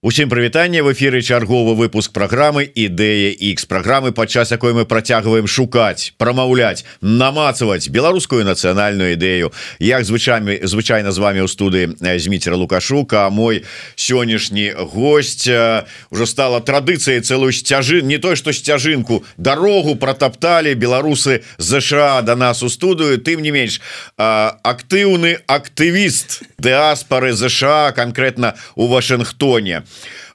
Усім прывітанне, в эфіры чарговы выпуск праграмы Ідэя X, праграмы, падчас якой мы працягваем шукаць, прамаўляць, намацаваць беларускую нацыянальную ідэю. Як звычайна з вами ў студыі Зміцер Лукашук, а мой сённяшні гость уже стала традыцыяй цэлую сцяжын, не той што сцяжынку, дарогу протапталі беларусы ЗША до нас у студыю, тым не менш актыўны актывіст дыаспары ЗША, конкретно у Вашынгтоне,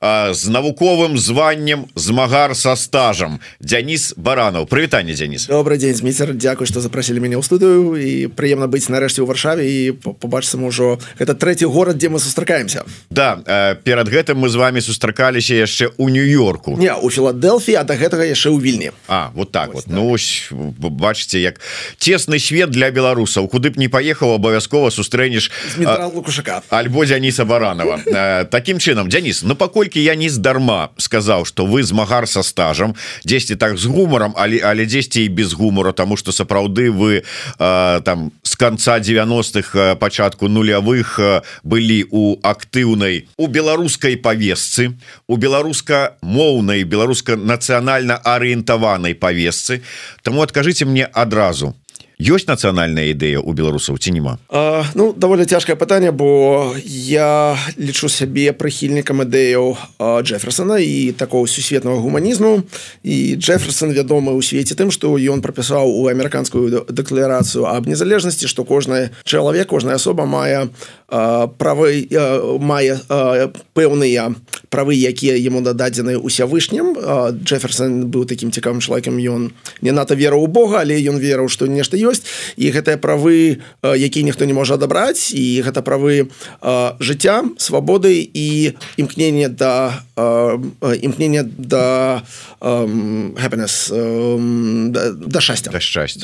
з навуковым званнем змагар со стажам Дзяніс Баранаў. Прывітанне, Дзяніс. Добрый день, Зміцер, дзякуй, што запросілі мяне ў студыю, і прыемна быць нарэшце ў Варшаве і побачыцца ўжо гэта трэці горад, дзе мы сустракаемся. Да, перад гэтым мы з вами сустракаліся яшчэ ў Нью-Йорку. Не, у Філадэлфіі, а да гэтага яшчэ ў Вільні. Вот так вот. Ну, бачыце, як цесны свет для беларусаў. Куды б не паехаў, абавязкова сустрэнеш Змітра Лукашака альбо Дзяніса Баранова. Такім чынам, Дзяніс, ну паколькі я не здарма сказаў, што вы змагар са стажам, дзесьці так з гумарам, але дзесьці і без гумора, таму што сапраўды вы там з канца 90-х, пачатку нулявых былі у актыўнай, у беларускай павесцы, у беларуска-моўнай, беларуска-нацыянальна арыентаванай павесцы. Таму адкажыце мне адразу, ёсць нацыянальная ідэя у беларусаў ці няма? Ну, даволі цяжкае пытанне, бо я лічу сябе прыхільнікам ідэяў Джэферсона і такого сусветнага гуманізму. І Джэферсон вядомы ў свеце тым, што ён прапісаў у амерыканскую дэкларацыю аб незалежнасці, што кожны чалавек, кожная асоба мае правы, мае пэўныя правы, якія яму дададзены Усявышнім. Джэферсон быў такім цікавым чалавекам, ён не надта верыў у Бога, але ён верыў, што нешта ёсць, і гэтыя правы, якія ніхто не можа адабраць, і гэта правы жыцця, свабоды і імкнення да happiness, да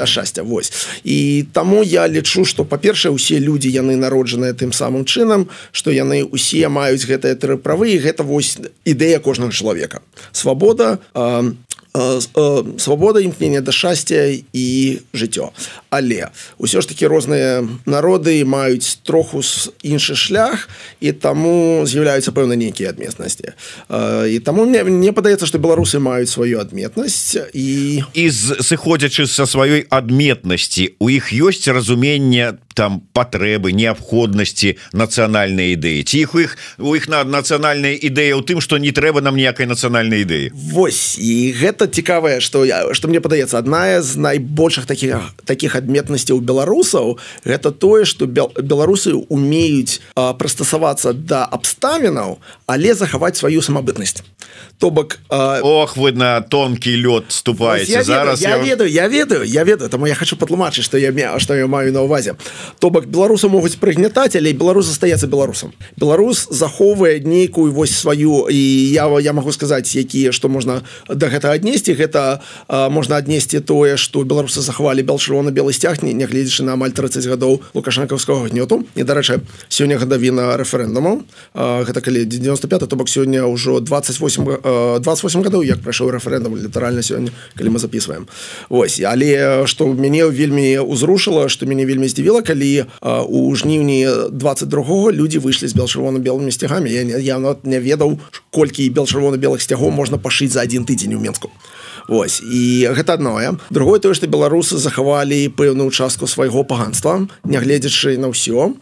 шчасця, вось. І таму я лічу, што, па-першае, усе людзі, яны народжаныя тым самым чынам, што яны усе маюць гэтыя тры правы, і гэта вось ідэя кожнага чалавека. Свабода, імкнення да шчасця і жыццё. Але ўсё ж такі розныя народы маюць троху іншы шлях, і таму з'яўляюцца пэўна нейкія адметнасці. І таму мне падаецца, што беларусы маюць сваю адметнасць. І сыходзячы са сваёй адметнасці, у іх ёсць разуменне там патрэбы, неабходнасці нацыянальнай ідэі? Ці у іх нацыянальная ідэя ў тым, што не трэба нам ніякай нацыянальнай ідэі? Вось, і гэта цікавае, што мне падаецца, адна з найбольшых такіх адметнасцяў беларусаў, гэта тое, што беларусы умеюць прыстасавацца да абставінаў, але захаваць сваю самабытнасць. То бок... Ох, вы на тонкі лёд ступаеце зараз. Я ведаю, таму я хочу патлумачыць, што я маю на ўвазе. То бок беларусы могуць прыгнятаць, але беларус застаецца беларусам. Беларус захоўвае нейкую вось сваю, і я магу сказаць, што можна да гэтага аднесці. Гэта можна аднесці тое, што беларусы захавалі чырвона-белы сцяг, нягледзячы на амаль 30 гадоў лукашэнкаўскага гнёту. І, дарэчы, сёння гадавіна рэферэндуму. Гэта калі 95, то бок сёння ўжо 28 гадоў, як прайшоў рэферэндум, літаральна сёння, калі мы записываем. Вось, але што мяне вельмі узрушыла, што мяне вельмі здзівіла, калі у жніўні 22-го людзі выйшлі з бел-чырвона-белымі сцягамі. Я не ведаў, колькі бел-чырвона-белых сцягоў можна пашыць за один тыдзень у Менску. Вось, і гэта адное. Другое тое, што беларусы захавалі пэўную частку свайго паганства, нягледзячы на ўсё.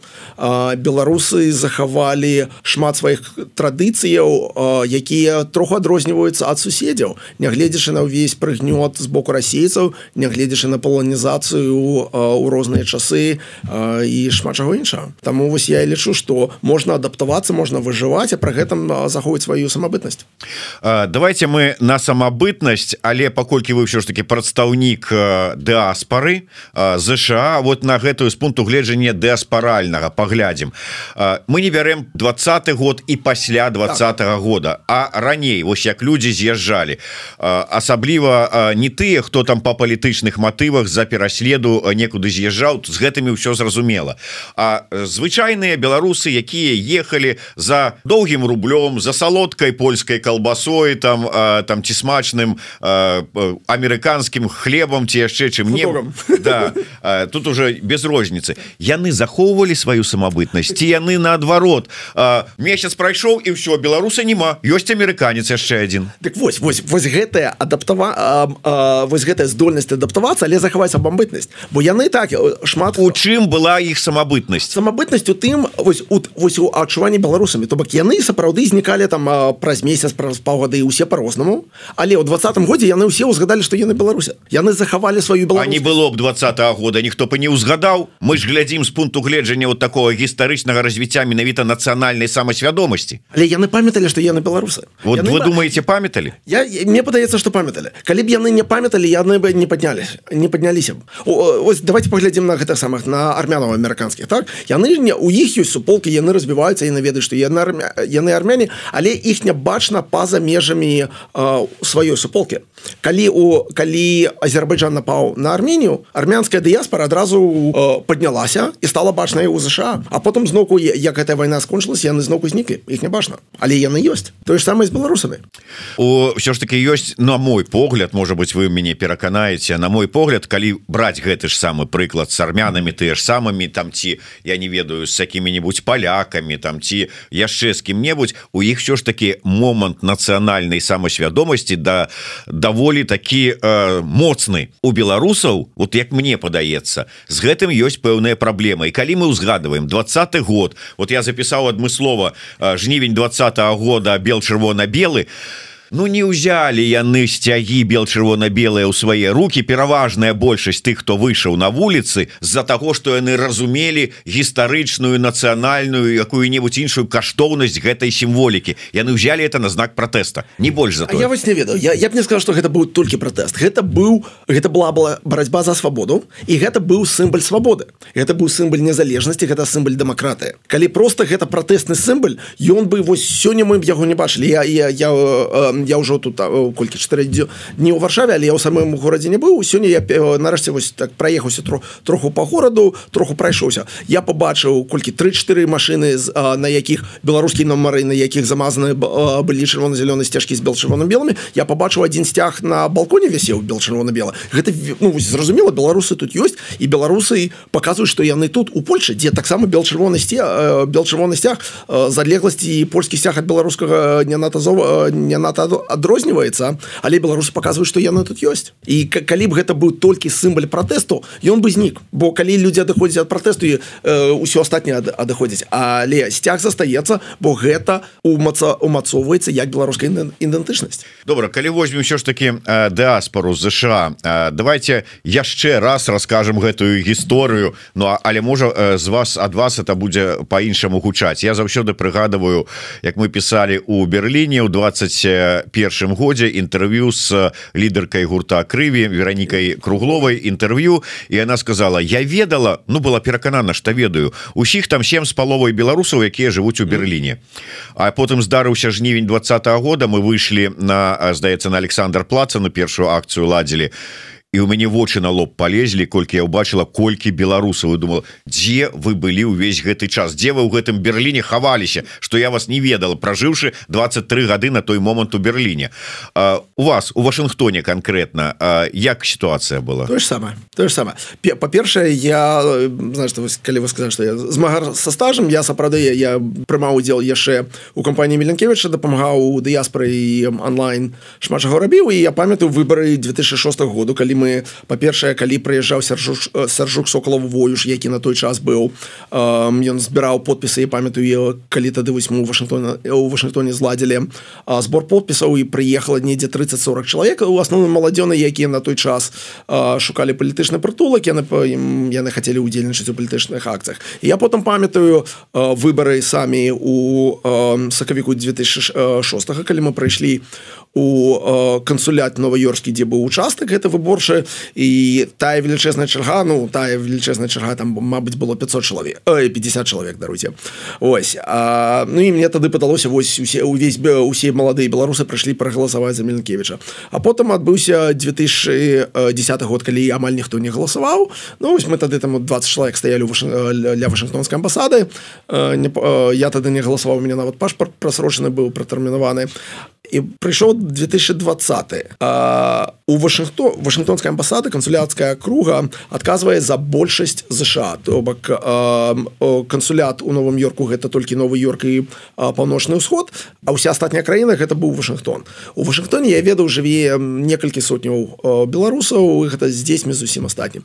Беларусы захавалі шмат сваіх традыцыяў, якія троху адрозніваюцца ад суседзяў, нягледзячы на ўвесь прыгнёт з боку расейцаў, нягледзячы на паланізацыю ў розныя часы і шмат чаго іншага. Таму вось я лічу, што можна адаптавацца, можна выжываць, а пры гэтым захоўваць сваю самабытнасць. Давайте мы на самабытнасць, але паколькі вы ўсё ж таки прадстаўнік дыаспары ЗША, вот на гэтую з пункту гледжання дыаспаральнага паглядзім. Мы не бярем 20-й год і пасля 20-го года, а раней, вось як людзі з'язджалі, асабліва не тыя, хто там па палітычных матывах за пераследу некуды з'язджаў, з гэтымі ўсё зразумела, а звычайныя беларусы, якія ехалі за доўгім рублём, за вёдкай, польскай калбасой, там ці смачным амерыканскім хлебам ці яшчэ чым-небудзь. Да, тут уже без розніцы. Яны захоўвалі сваю самабытнасць, ці яны наадварот. Месяц прайшоў і ўсё, беларуса няма, ёсць амерыканец яшчэ адзін. Так вось гэтая здольнасць адаптавацца, але захаваць самабытнасць, бо яны так шмат. У чым была іх самабытнасць? Самабытнасць у тым, вось у адчуванні беларусамі, то бок яны сапраўды знікалі там праз месяц, праз паўгады, і ўсе по-рознаму, але ў 20-м годзе яны ўсе ўзгадалі, што яны беларусы, яны захавалі сваю беларускасць. А не было б 20-го года, ніхто б не ўзгадаў. Мы ж глядзім з пункту гледжання вот такого гістарычнага развіцця менавіта нацыянальнай самасвядомасці. Але яны памяталі, што яны беларусы. Вот вы думаеце, памяталі? Мне падаецца, што памяталі. Калі б яны не памяталі, яны бы не падняліся б. Ось давайте паглядзім на гэтых самых, на армянаў амерыканскіх, так? У іх ёсць суполкі, яны развіваюцца, яны ведаюць, што яны армяне, але іх не бачна па-за межамі сваёй суполкі. Калі Азербайджан напаў на Арменію, армянская дыяспора адразу паднялася і стала бачнай у ЗША. А потым зноўку, як гэтая вайна скончылася, яны зноўку зніклі, іх не бачна. Але яны ёсць. Тое ж самае з беларусамі. Ўсё ж таки ёсць, на мой погляд, можа быць, вы мяне пераканаеце, на мой погляд, калі браць гэты ж самы прыклад з армянамі, тыя ж самымі, там ці, я не ведаю, з якімі-небудзь палякамі, там ці яшчэ з кім-небудзь, у іх ўсё ж таки момант нацыянальнай самасвядомасці даволі такі моцны. У беларусаў, вот як мне падаецца, з гэтым ёсць пэўная праблема. І калі мы ўзгадываем 20-й год, вот я запісаў адмыслова жнівень 20-го года бел-чырвона-белы, ну не ўзялі яны сцягі бел-чырвона-белыя ў свае рукі, пераважная большасць тых, хто выйшаў на вуліцы, з-за таго, што яны разумелі гістарычную, нацыянальную, якую-небудзь іншую каштоўнасць гэтай сімволікі. Яны ўзялі это на знак пратэста, не больш за тое. Я вось не ведаю, я б не сказал, што гэта быў толькі пратэст. Гэта была барацьба за свабоду, і гэта быў сімвал свабоды. Гэта быў сімвал незалежнасці, гэта сімвал дэмакратыі. Калі проста гэта пратэстны сімвал, ён бы вось сёння мы б яго не бачылі. Я ўжо тут колькі 4 дні ў Варшаве, але я ў самым горадзе не быў. Сёння я нарэшце вось так праехаўся троху па гораду, троху прайшоўся. Я пабачыў колькі 3-4 машыны, на якіх беларускія нумары, на якіх замазаны былі чырвона-зялёныя сцяжкі з бел-чырвона-белымі. Я пабачыў адзін сцяг на балконе вісеў бел-чырвона-белы. Гэта, ну, зразумела, беларусы тут ёсць, і беларусы паказваюць, што яны тут у Польшчы, дзе таксама бел-чырвоны сцяг з адлегласці, і польскі сцяг ад беларускага не надта адрозніваецца, але беларусы паказваюць, што яны тут ёсць. І калі б гэта быў толькі сімвал пратэсту, ён бы знік, бо калі людзі адыходзяць ад пратэсту, ўсё астатняе адыходзіць, але сцяг застаецца, бо гэта умацоўваецца як беларуская ідэнтычнасць. Добра, калі возьмем ўсё ж таки дыаспору з ЗША, давайте яшчэ раз раскажам гэтую гісторыю, ну але можа ад вас это будзе по-іншаму гучаць. Я заўсёды прыгадываю, як мы пісалі у Берліне ў 21 годзе інтэрв'ю з лідаркай гурта Крыві Веранікай Кругловай, інтэрв'ю, і яна сказала: я ведала, ну была пераканана, што ведаю, усіх там 7,5 беларусаў, якія жывуць у Берліне. А потым здарыўся жнівень 20-го года, мы выйшлі на, здаецца, на Александр-плаца, на першую акцыю ладзілі, і ў мяне вочы на лоб палезлі, колькі я ўбачыла, колькі беларусаў. І думала, дзе вы былі ўвесь гэты час, дзе вы ў гэтым Берліне хаваліся, што я вас не ведала, пражыўшы 23 гады на той момант у Берліне. У вас, у Вашынгтоне канкрэтна, як сітуацыя была? Тое ж самае. Па-першае, калі вы сказалі, што я змагар са стажам, я сапраўды, я прымаў удзел яшчэ у кампаніі Міленкевіча, дапамагаў у дыяспоры і онлайн шмат чаго рабіў, і я памятаю выбары 2006 году, калі мы, па-першае, калі прыязджаў Сяржук Соколов-Воюш, які на той час быў, ён збіраў подпісы, я памятаю, калі тады вось мы у Вашынгтоне зладзілі збор подпісаў, і прыехала недзе 30-40 чалавек, у асноўным маладзёны, якія на той час шукалі палітычны прытулак, яны хацелі ўдзельнічаць у палітычных акцыях. І я потым памятаю выбары самі у сакавіку 2006, калі мы прыйшлі у кансулят Нова-Йорскі, дзе быў участак, гэта выборчы грошы і тая велічэзная чарга, там, мабыць, было 50 чалавек, даруйце. Ось. Ну і мне тады падалося, вось усе маладыя беларусы прыйшлі прагаласаваць за Міленкевіча. А потым адбыўся 2010 год, калі амаль ніхто не галасаваў. Ну, вось мы тады там 20 чалавек стаялі ля Вашынгтонскай амбасады. Я тады не галасаваў, у мяне нават пашпарт прасрочаны быў, пратэрмінаваны. І прыйшоў 2020. У Вашынгтонскай амбасады кансуляцкая круга адказвае за большасць ЗША. То бок кансулят у Новым Йорку гэта толькі Новы Йорк і Паўночны ўсход, а ўся астатняя краіна гэта быў Вашынгтон. У Вашынгтоне, я ведаў, жыве некалькі сотняў беларусаў, гэта з дзецьмі зусім астатнім.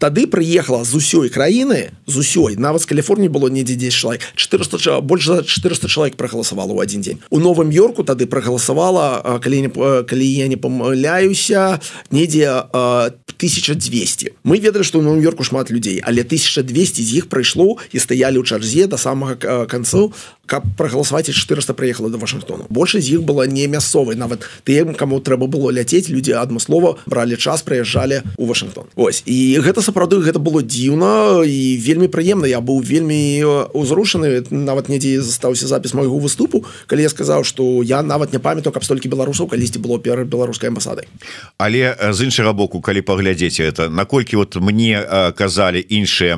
Тады прыехала з усёй краіны, з усёй, нават з Каліфорніі было недзе 10 чалавек, больш за 400 чалавек прагаласавала ў адзін дзень. У Новым Йорку тады прагаласавала, калі я не памыляюся, недзе 1200. Мы ведалі, што ў Новым Йорку шмат людзей, але 1200 з іх прыйшло і стаялі ў чарзе да самага канцу, каб прагаласаваць, і 400 прыехала да Вашынгтону. Большасць з іх была не мясцовай, нават тым, каму трэба было ляцець, людзі адмыслова бралі час, прыязджалі ў Вашынгтон. Ось. І гэта сапраўды, гэта было дзіўна і вельмі прыемна. Я быў вельмі узрушаны, нават недзе застаўся запіс майго выступу, калі я сказаў, што я нават не памятаю, каб столькі беларусаў калісьці было перад беларускай амбасадай. Але з іншага боку, калі паглядзеце это, наколькі вот мне казалі іншыя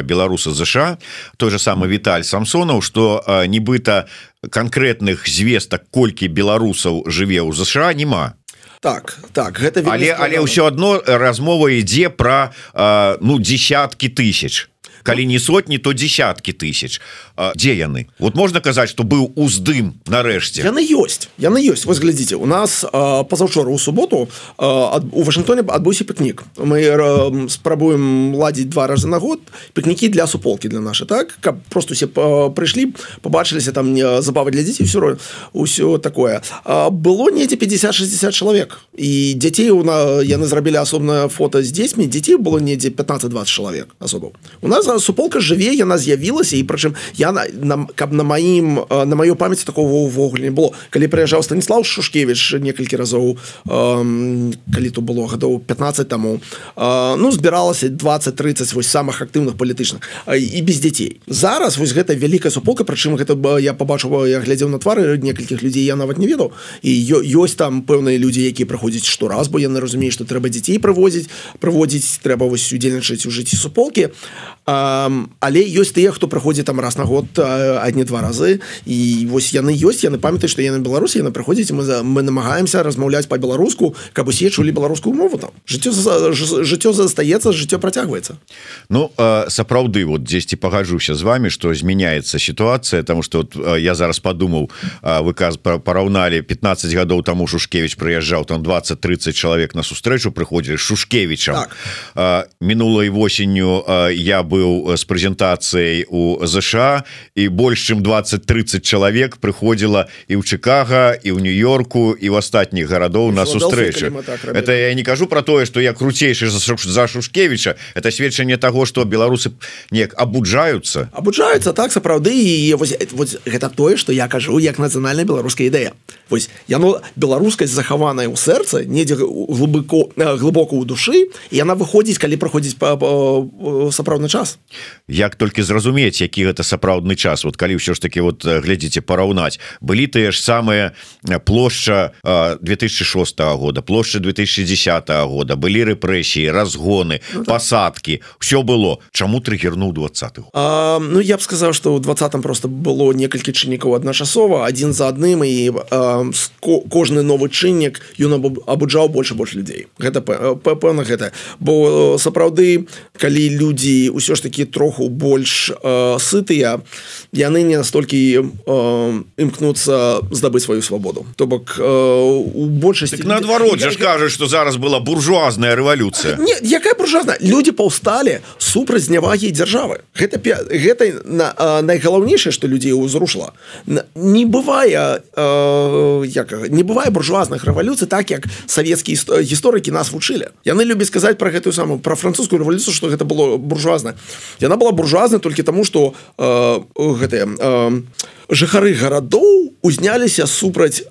беларусы ЗША, той же самы Віталь Самсонаў, што нібыта канкрэтных звестак, колькі беларусаў жыве ў ЗША, няма. Так, гэта вельмі але ўсё адно размова ідзе пра десяткі тысяч. Калі не сотні, то десяткі тысяч. Дзе яны? Вот можна казаць, што быў уздым нарэшце. Яны ёсць. Вось глядзіце, у нас пазаўчора ў суботу у Вашынгтоне адбыўся пікнік. Мы спрабуем ладзіць 2 разы на год пікнікі для суполкі для наша, так? Каб просто усе прыйшлі, пабачыліся там забавы для дзяцей, ўсё такое. Было недзе 50-60 чалавек. І дзяцей яны зрабілі асобнае фота з дзецьмі, дзяцей было недзе 15-20 чалавек асобаў. У нас суполка жыве, яна з'явілася, і прычым каб на маёй памяці такого ўвогуле не было. Калі прыязджаў Станіслав Шушкевіч некалькі разоў, калі то было гадоў 15 таму, збіралася 20-30 вось самых актыўных палітычных і без дзяцей. Зараз вось гэта вялікая суполка, прычым гэта я пабачыў, я глядзеў на твары некалькіх людзей, я нават не ведаў. І ёсць там пэўныя людзі, якія прыходзяць штораз, бо яны разумеюць, што трэба дзяцей прыводзіць, трэба вось удзельнічаць у жыцці суполкі. Але ёсць тыя, хто прыходзіць там раз на год, адні-два разы, і вось яны памятаюць, што яны беларусы, яны прыходзяць, мы намагаемся размаўляць па-беларуску, каб усе чулі беларускую мову там. Жыццё застаецца, жыццё працягваецца. Ну, сапраўды, вот дзесьці пагаджуся з вами, што змяняецца сітуацыя, таму што я зараз падумаў, вы параўналі 15 гадоў таму Шушкевіч прыязджаў, там 20-30 чалавек на сустрэчу прыходзілі з Шушкевічам. Мінулай восенню я быў з прэзентацыяй у ЗША, і больш чым 20-30 чалавек прыходзіла і ў Чикаго, і ў Нью-Йорку, і ў астатніх гарадоў на сустрэчы. Это я не кажу про тое, што я круцейшы за Шушкевіча, это сведчанне таго, што беларусы неяк абуджаюцца. Абуджаюцца, так, сапраўды, і вось гэта тое, што я кажу як нацыянальная беларуская ідэя. Вось яно, беларускасць захаваная ў сэрцы, недзе глыбока ў душы, і яна выходзіць, калі праходзіць сапраўдны час. Як толькі зразумець, які гэта сапраўдны час, вот калі ўсё ж таки вот глядзіце параўнаць, былі тыя ж самыя плошча 2006 года, плошча 2010 года, былі рэпрэсіі, разгоны, пасадкі, все было. Чаму трыгернуў 20-х? Ну, я б сказаў, што ў 20-м просто было некалькі чыннікаў адначасова, адзін за адным, і кожны новы чыннік ён абуджаў больш і больш людзей. Гэта пэўна гэта. Бо сапраўды, калі людзі ўсё ж таки троху больш сытыя, яны не настолькі імкнуцца здабыць сваю свабоду. То бок у большасці... Так наадварот жа ж кажуць, што зараз была буржуазная рэвалюцыя. Не, якая буржуазная? Людзі паўсталі супраць знявагі дзяржавы. Гэта найгалоўнейшае, што людзей узрушыла. Не бывае буржуазных рэвалюцый так, як савецкія гісторыкі нас вучылі. Яны любяць сказаць пра гэтую самую, пра французскую рэвалюцыю, што гэта было буржуазна. яна была буржуазнай толькі таму што гэтыя жыхары гарадоў узняліся супраць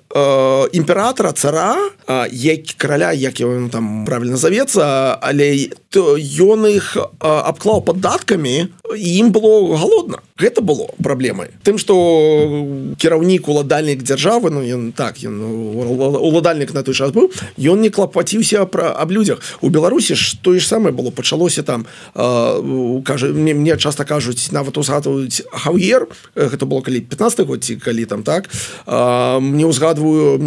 імператора, цара, караля, як ён там правильно завецца, але ён іх абклаў падаткамі, і ім было голодна. Гэта было праблемай. Тым, што кіраўнік, уладальнік дзяржавы, ён уладальнік на той час быў, ён не клапаціўся аб людзях. У Беларусі ж тое ж самае было, пачалося там, мне часта кажуць, нават узгадваюць Хаўер, гэта было калі 15 год, ці калі там так, мне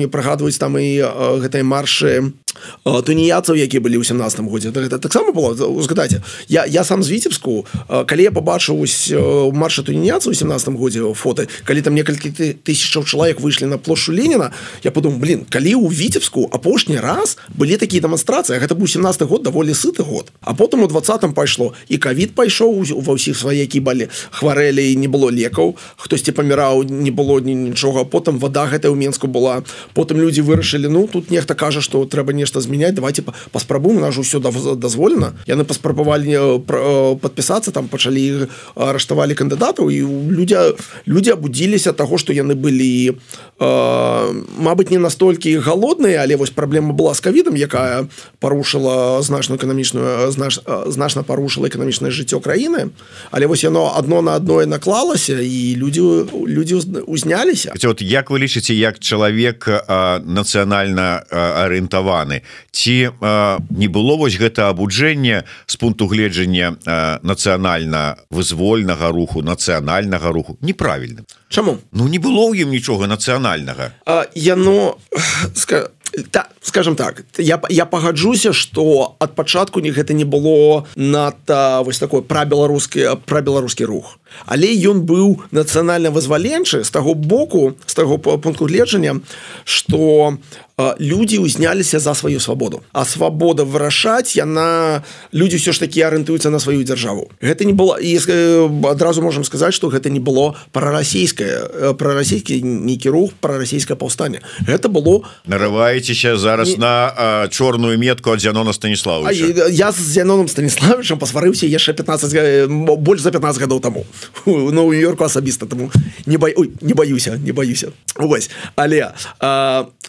прыгадваюць там і гэтыя маршы туніяцаў, якія былі ў 17 годзе. Гэта таксама было, узгадайце. Я сам з Віцебску, калі я пабачыў маршы туніяцаў у 17 годзе фоты, калі там некалькі тысячаў чалавек выйшлі на плошчу Леніна, я подумаў, калі ў Віцебску апошні раз былі такія дэманстрацыі, гэта быў 17 год, даволі сыты год. А потым у 20-м пайшло, і ковід пайшоў, ва ўсіх сваякі хварэлі, не было лекаў, хтосьці паміраў, не было нічога, потым вада гэтая ў Менску была, потым людзі вырашылі, тут нехта кажа, што трэба нешта змяняць, давайте паспрабуем, у нас же ўсё дазволена. Яны паспрабавалі падпісацца, там пачалі арыштавалі кандыдатаў, і людзі абудзіліся таго, што яны былі мабыць, не настолькі голодныя, але вось праблема была з ковідам, якая парушыла значна парушыла эканамічнае жыццё краіны, але вось яно адно на адное наклалася, і людзі узняліся. Як вы лічыце, як чалавек нацыянальна арыентаваны, ці не было вось гэта абуджэнне з пункту гледжання нацыянальна-вызвольнага руху, нацыянальнага руху неправільным? Чаму? Не было ў ім нічога нацыянальнага. Яно, скажем так, я пагаджуся, што ад пачатку гэта не было надта вось такой прабеларускі рух. Але ён быў нацыянальна-вызваленчы з таго боку, з таго пункту гледжання, што людзі узняліся за сваю свабоду. А свабода вырашаць, людзі ўсё ж такі арыентуюцца на сваю дзяржаву. Гэта не было, і адразу можам сказаць, што гэта не было прарасійскі нейкі рух, прарасійскае паўстанне. Гэта было... Нарываецеся зараз на чорную метку ад Зянона Станіславовича. Я з Зяноном Станіславовичам пасварыўся яшчэ больш за 15 гадоў таму. У Нью-Йорку асабіста, таму не баюся. Вось. Але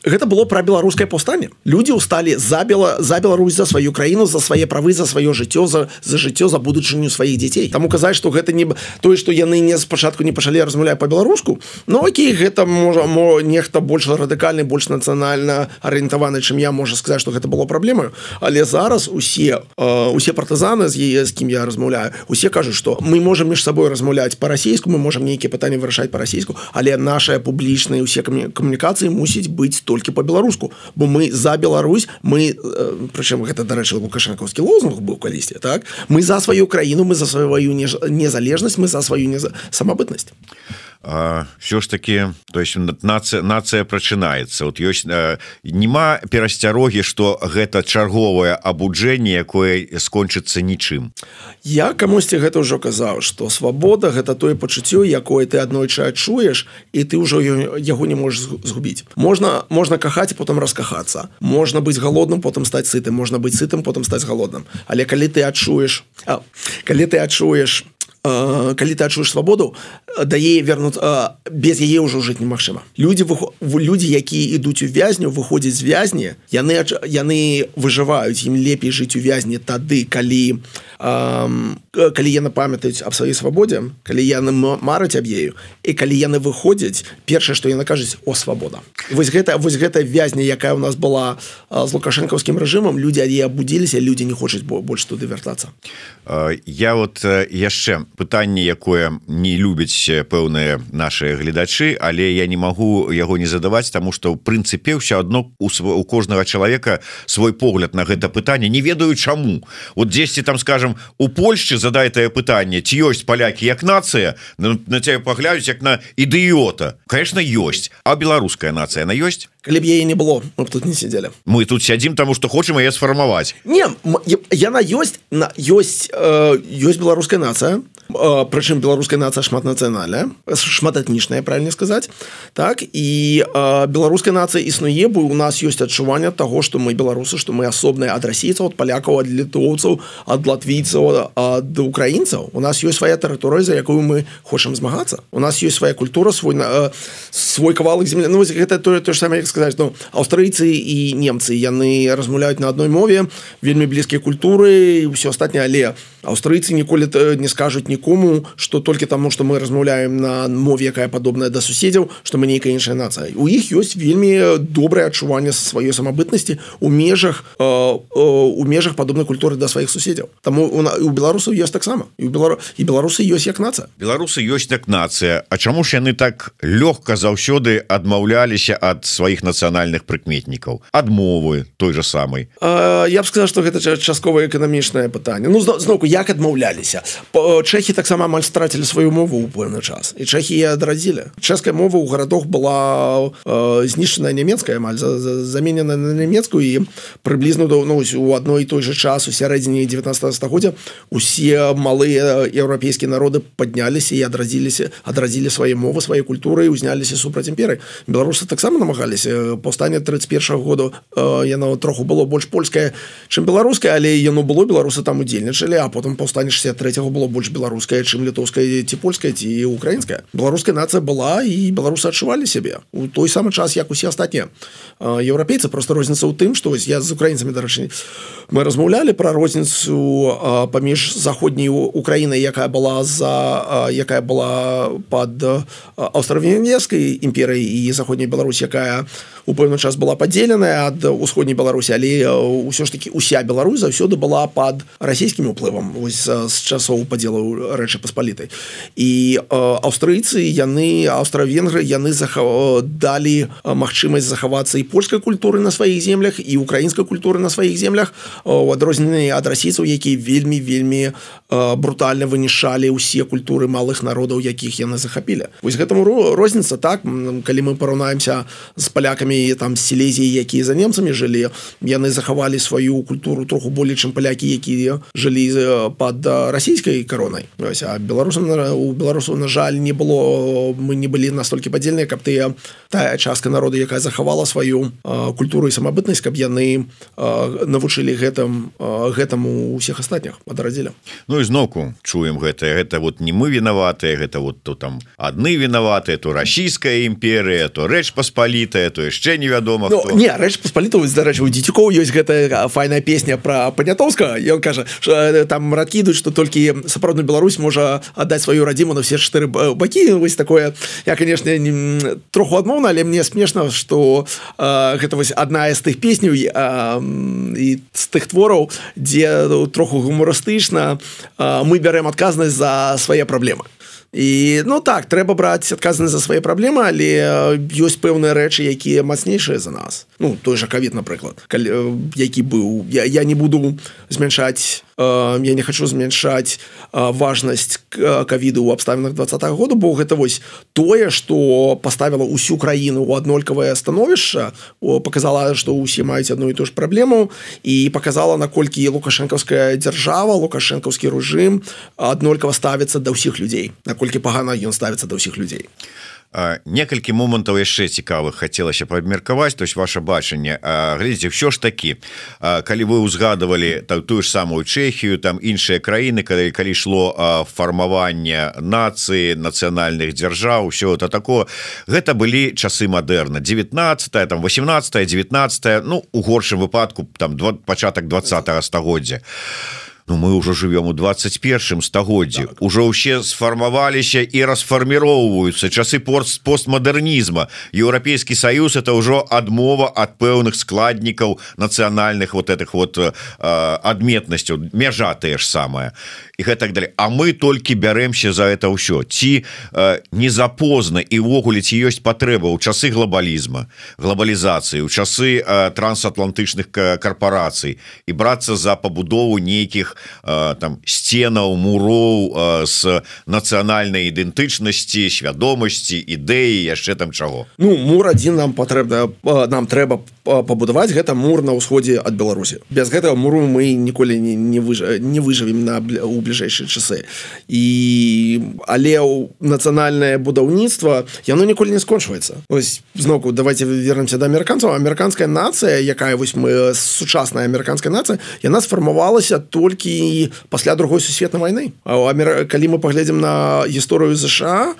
гэта было беларускае паўстанне. Людзі ўсталі за Беларусь, за сваю краіну, за свае правы, за сваё жыццё, за жыццё, за будучыню сваіх дзяцей. Таму казаць, што гэта не тое, што яны спачатку не пачалі размаўляць па-беларуску, окей, гэта можа нехта больш радыкальны, больш нацыянальна арыентаваны, чым я, можа сказаць, што гэта было праблемаю. Але зараз усе партызаны, з кім я размаўляю, усе кажуць, што мы можам між сабой размаўляць па-расейску, мы можам нейкія пытанні вырашаць па-расейску, але нашыя публічныя ўсе камунікацыі мусіць быць толькі па-беларуску, бо мы за Беларусь, прычым гэта, дарэчы, лукашэнкаўскі лозунг быў калісьці, так? Мы за сваю краіну, мы за сваю незалежнасць, мы за сваю самабытнасць. Все ж таки, то есть нацыя прачынаецца. Ёсць нема перасцярогі, што гэта чарговае абуджэнне, якое скончыцца нічым. Я камусьці гэта ўжо казаў, што свабода гэта тое пачуццё, якое ты аднойчы адчуеш, і ты ўжо яго не можаш згубіць. Можна кахаць, потым раскахацца. Можна быць голодным, потым стаць сытым. Можна быць сытым, потым стаць голодным. Але калі ты адчуеш свабоду, да яе без яе ўжо жыць немагчыма. Людзі, якія ідуць у вязню, выходзяць з вязні, яны выжываюць, ім лепей жыць у вязні тады, калі яны памятаюць аб сваёй свабодзе, калі яны мараць аб ею, і калі яны выходзяць, першае, што яны кажуць: о, свабода. Вось гэта вязня, якая ў нас была з лукашэнкаўскім рэжымам, людзі ад яе абудзіліся, людзі не хочуць больш туды вяртацца. Я яшчэ пытанне, якое не любяць пэўныя нашыя гледачы, але я не магу яго не задаваць, таму што ў прынцыпе ўсё адно у кожнага чалавека свой погляд на гэта пытанне, не ведаю чаму. Дзесьці там, скажем, у Польшчы задай тае пытанне, ці ёсць палякі як нацыя, на цябе паглядаюць як на ідыёта. Конечно, ёсць. А беларуская нацыя, она ёсць? Калі б яе не было, мы б тут не сидзелі. Мы тут сядзім, таму што хочам яе сфармаваць. Не, яна ёсць беларуская нацыя. прычым беларуская нацыя шматнацыянальная, шматэтнічная, правильно сказаць, так, і беларуская нацыя існуе, бо у нас ёсць адчуванне таго, што мы беларусы, што мы асобныя ад расійцаў, ад палякаў, ад літоўцаў, ад латвійцаў, ад украінцаў. У нас ёсць свая тэрыторыя, за якую мы хочам змагацца. У нас ёсць свая культура, свой кавалак землі. Ну, гэта то ж самае, як сказаць, ну, аўстрыйцы і немцы, яны размаўляюць на адной мове, вельмі блізкія культуры і ўсё астатняе, але аўстрыйцы ніколі не скажуць нікому, што толькі таму, што мы размаўляем на мове, якая падобная да суседзяў, што мы нейкая іншая нацыя. У іх ёсць вельмі добрае адчуванне сваёй самабытнасці у межах падобнай культуры да сваіх суседзяў. Таму у беларусаў ёсць таксама. І беларусы ёсць як нацыя. Беларусы ёсць як нацыя. А чаму ж яны так лёгка заўсёды адмаўляліся ад сваіх нацыянальных прыкметнікаў, ад мовы той же самай? Я б сказаў, што гэта часткова эканамічнае пытанне. Ну, зноўку, як адмаўляліся? Чэхі таксама амаль страцілі сваю мову ў пэўны час. І чэхі яе адрадзілі. Чэшская мова ў гарадах была знішчаная нямецкая, амаль заменена на нямецкую, і прыблізна у адной і той же час у сярэдзіне 19 стагоддзя усе малыя еўрапейскія народы падняліся і адрадзілі свае мовы, свае культуры і ўзняліся супраць імперыі. Беларусы таксама намагаліся. Паўстанне 31-го году яно троху было больш польскае, чым беларускае, але яно было, беларусы там удзельнічалі, а потым паўстанне 63-го было больш беларускае, чым літоўскае ці польскае ці украінскае. Беларуская нацыя была, і беларусы адчувалі сябе у той самы час, як усе астатнія еўрапейцы. Просто розніца ў тым, што я з украінцамі, дарэчы, мы размаўлялі пра розніцу паміж заходняй Украінай, якая была пад аўстра-венгерскай імперыяй, і заходняй Беларусь, якая у пэўны час была падзеленая ад усходняй Беларусі, але ўсё ж таки уся Беларусь заўсёды была пад расійскім уплывам з часоў падзелу Рэчы Паспалітай. І аўстрыйцы, аўстра-венгры, яны далі магчымасць захавацца і польскай культуры на сваіх землях, і украінскай культуры на сваіх землях, у адрозненні ад расійцаў, якія вельмі брутальна вынішалі ўсе культуры малых народаў, якіх яны захапілі. Вось гэтаму розніца, так, калі мы параўнаемся з палякамі там з Сілезіі, якія за немцамі жылі, яны захавалі сваю культуру троху болей, чым палякі, якія жылі пад расійскай каронай. А у беларусаў, на жаль, не было, мы не былі настолькі падзельныя, каб тая частка народу, якая захавала сваю культуру і самабытнасць, каб яны навучылі гэтаму ўсіх астатніх, адрадзілі. Ну і зноўку чуем гэта вот не мы вінаватыя, гэта вот то там адны вінаватыя, то расійская імперыя, то Рэч Паспалітая, то яшчэ невядома хто. Не, Рэч Паспалітая, дарэчы, у Дзецюкоў ёсць гэтая файная песня пра Панятоўскага, і ён кажа, што там радкідуць, што толькі сапраўдная Беларусь можа аддаць сваю радзіму на все 4 бакі. Вось такое, я, канешне, троху адмоўна, але мне смешна, што гэта вось адна з тых песняў і з тых твораў, дзе троху гумарыстычна мы бярэм адказнасць за свае праблемы. І, ну так, трэба браць адказнасць за свае праблемы, але ёсць пэўныя рэчы, якія мацнейшыя за нас. Ну, той жа ковід, напрыклад, які быў. Я не буду змяншаць, я не хочу змяншаць важнасць ковіду ў абставінах 20-го году, бо гэта вось тое, што паставіла ўсю краіну ў аднолькавае становішча, показала, што ўсе маюць адну і ту ж праблему, і показала, наколькі лукашэнкаўская дзяржава, лукашэнкаўскі рэжым аднолькава ставіцца да ўсіх людзей, наколькі пагана ён ставіцца да ўсіх людзей. Некалькі момантаў яшчэ цікавых хацелася паабмеркаваць, то есть ваше бачанне. Глядзіце, ўсё ж такі, калі вы ўзгадывалі тую ж самую Чэхію, там іншыя краіны, калі ішло фармаванне нацыі, нацыянальных дзяржаў, ўсё это такое, гэта былі часы мадэрна, 19-е, там 18-е, 19-е, ну, у горшым выпадку там пачатак 20-го стагоддзя. Ну, мы ўжо живем у 21-м стагоддзі, так. Ужо ўсе сфармаваліся і расфарміроўваюцца часы постмадэрнізма. Еўрапейскі саюз это ўжо адмова ад пэўных складнікаў нацыянальных вот этих вот адметнасцяў, мяжа тая ж самая і гэтак далей. А мы толькі бярэмся за это ўсё. Ці не запозна і ўвогуле ці ёсць патрэба ў часы глобалізма, глобалізацыі, ў часы трансатлантычных карпорацый і брацца за пабудову нейкіх там сценаў, муроў з нацыянальнай ідэнтычнасці, свядомасці, ідэі, яшчэ там чаго. Ну, мур адзін нам трэба пабудаваць, гэта мур на ўсходзе ад Беларусі. Без гэтага муру мы ніколі не выжывем у бліжэйшыя часы але нацыянальнае будаўніцтва яно ніколі не скончваецца. Вось зноку давайте вернемся да амерыканцаў. Амерыканская нацыя, якая вось мы сучасная амерыканская нацыя, яна сфармавалася толькі пасля другой сусветнай вайны. Калі мы паглядзім на гісторыю ЗША,